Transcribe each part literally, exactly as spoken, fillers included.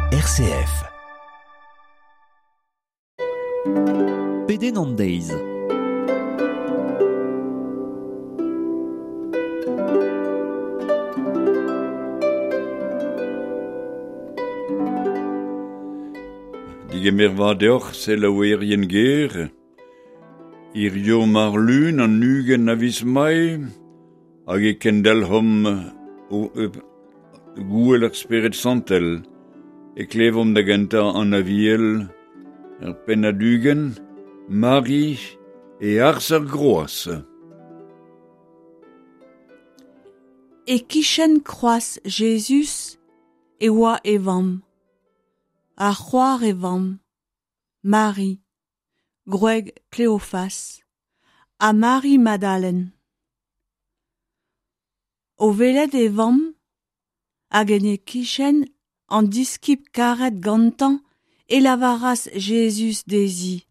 R C F. Pedenn an deiz. Digemer vat deoc'h selaouerien ger. Hirio mar lun an ugent a viz Mae, hag e kendelc'homp o, e, gouel ar Spered Santel, e klevomp da gentañ an Aviel, ar pennad ugent, Mari e arz ar groaz. E kichen kroaz Jezuz e oa e vamm, ha c'hoar e vamm, Mari, gwreg Kleofas, ha Mari Madalen. O welet e vamm, hag en e kichen an diskibl karet gantañ e lavaras Jezuz dezhi.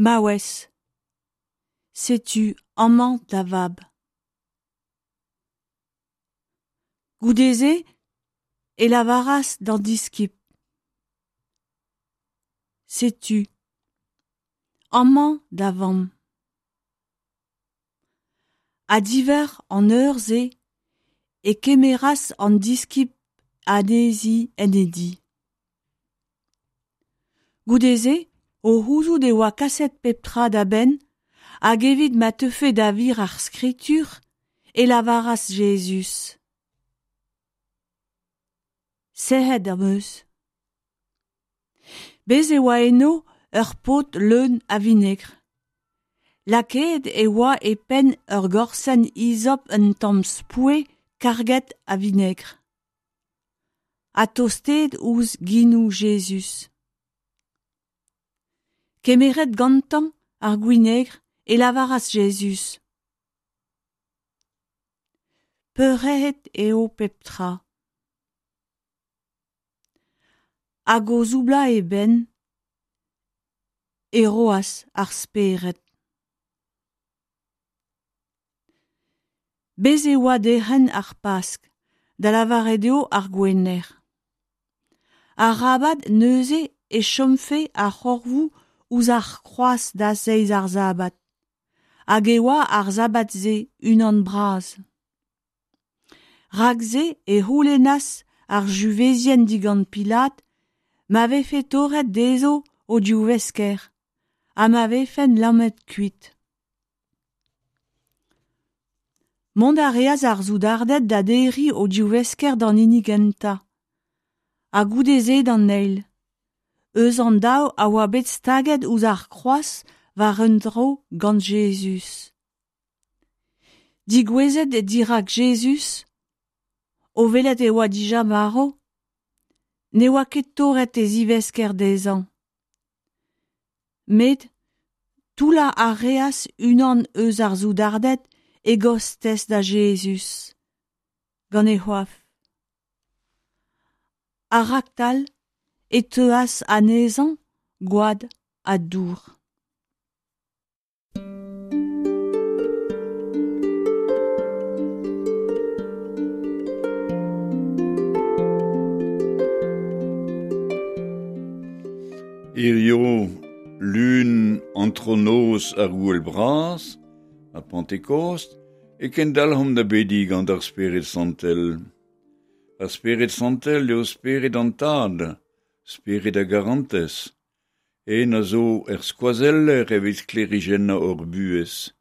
Maouez, setu amañ da vab. Goude-se e lavaras d'an diskibl. Setu amañ da vamm. Ha diwar an eur-se e kemeras an diskibl anezhi en e di. Goude-se, o c'houzout e oa kaset pep tra da benn, hag evit ma teufe da wir ar skritur, e lavaras Jezuz. Sec'hed am eus. Bez' e oa eno ur pod leun a vinegr. Lakaet e oa e penn ur gorzenn izop un tamm spoue karget a vinegr. Ha tostaet ouzh genoù Jezuz. Kemeret gantañ ar gwinegr e lavaras Jezuz. Peurc'hraet eo pep tra. Hag o soublañ e benn e roas ar spered. Bez' e oa derc'hent ar Pask, da lavaret eo ar Gwener. Arabat neuze e chomfe ar c'horfoù ouzh ar kroaz da zeiz ar sabad, hag e oa ar sabad-se unan bras. Rak-se e c'houlennas ar Yuzevien digant Pilat ma vefe torret dezho o divesker ha ma vefent lamet kuit. Mont a reas ar soudarded da derriñ o divesker d'an hini gentañ, ha goude-se d'an eil. Eus an daou a oa bet staget ouzh ar kroaz war un dro gant Jezuz. Degouezhet dirak Jezuz, o welet e oa dija marv, ne oa ket torret e zivesker dezhañ. Met toullañ a reas unan eus ar soudarded e gostez da Jezuz, gant e c'hoaf. Ha raktal e teuas anezhañ gwad ha dour. Hirio lun antronoz ar gouel bras, a Pentekost, e kendalc'homp da bediñ gant ar Spered Santel. Ar Spered Santel eo Spered an Tad, Spered a garantez, en a zo er skoazeller evit sklêrijennañ hor buhez.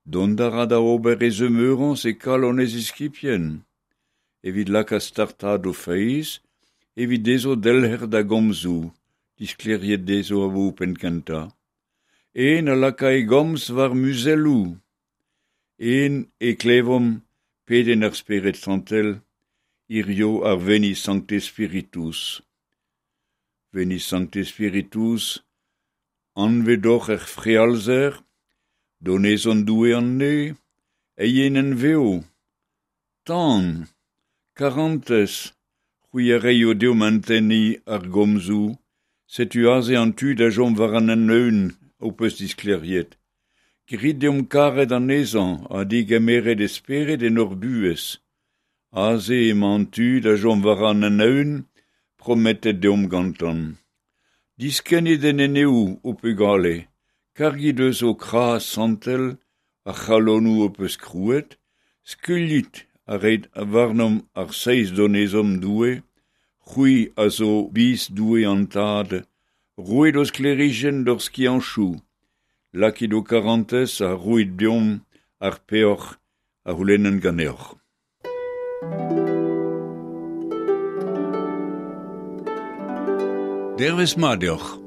Dont a ra da ober e zemeurañs e kalon e ziskibien, evit lakaat startaat o feiz, evit dezho delc'her da gomzoù, disklêriet dezho a-boa penn-kentañ. En a laka e gomz war muzelloù. En e klevomp pedenn ar Spered Santel, hirio ar Veni Sancte Spiritus. Veni Sancte Spiritus, anvet oc'h er frealzer, donezon Doue an ne, eienenn vev, tan, karantez, c'hwi a reio deomp entenniñ ar gomzoù, setu aze an tu da chom war an hent-eeun ho peus disklêriet. Grit deomp karet anezhañ ha degemeret e spered en hor buhez. Aze emañ an tu da chom war an anaon, prometet deomp gantañ. Diskennit en eneoù ho pugale, kargit eus ho kras santel ar c'halonoù ho peus krouet, skuilhit ha reit warnomp ar seizh donezon Doue, c'hwi a zo biz Doue an Tad, roit ho sklêrijenn d'hor skiantoù, lakit ho karantez ha roit deomp ar peoc'h a c'houlennan ganeoc'h. Dervezh mat deoc'h.